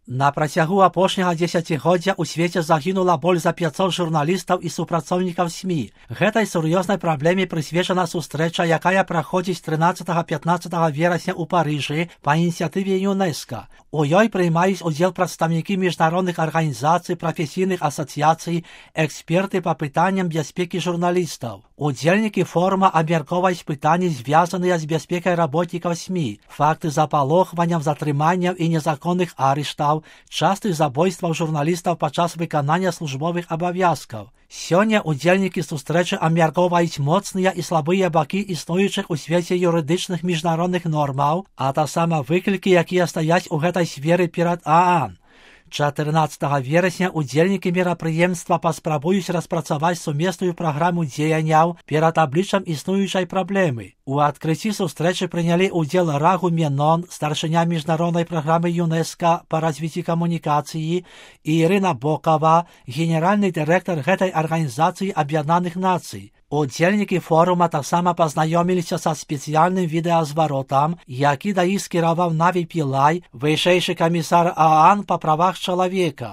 На працягу апошняга дзесяцігоддзя ў свеце загінула больш за 500 журналістаў і супрацоўнікаў СМІ. Гэтай сур'ёзнай праблеме прысвечана сустрэча, якая праходзіць 13-15 верасня ў Парыжы па ініцыятыве ЮНЕСКО. У ёй прымаюць удзел прадстаўнікі міжнародных арганізацый, прафесійных асацыяцый, эксперты па пытанням бяспекі журналістаў. Удзельнікі форума абмяркоўваюць пытанні, звязаныя з бяспекай работнікаў СМІ, факты запалохванняў, затрыманняў і незаконных арыштаў, частых забойстваў журналістаў падчас выканання службовых абавязкаў. Сёння удзельнікі сустрэчы абмяркоўваюць моцныя і слабыя бакі існуючых у свеце юрыдычных міжнародных нормаў, а таксама выклікі, якія стаяць у гэтай сферы перад ААН. 14 верасня удзельнікі мерапрыемства паспрабуюць распрацаваць сумесную праграму дзеянняў перад абліччам існуючай праблемы. У адкрыцці сустрэчы прынялі ўдзел Рагу Менон, старшыня міжнароднай праграмы ЮНЕСКО па развіцці камунікацыі, і Ірына Бокава, генеральны дырэктар гэтай арганізацыі Аб'яднаных Нацый. Удзельнікі форума таксама пазнаёміліся са спецыяльным відэазваротам, які да іх скіраваў Наві Пілай, вышэйшы камісар ААН па правах чалавека.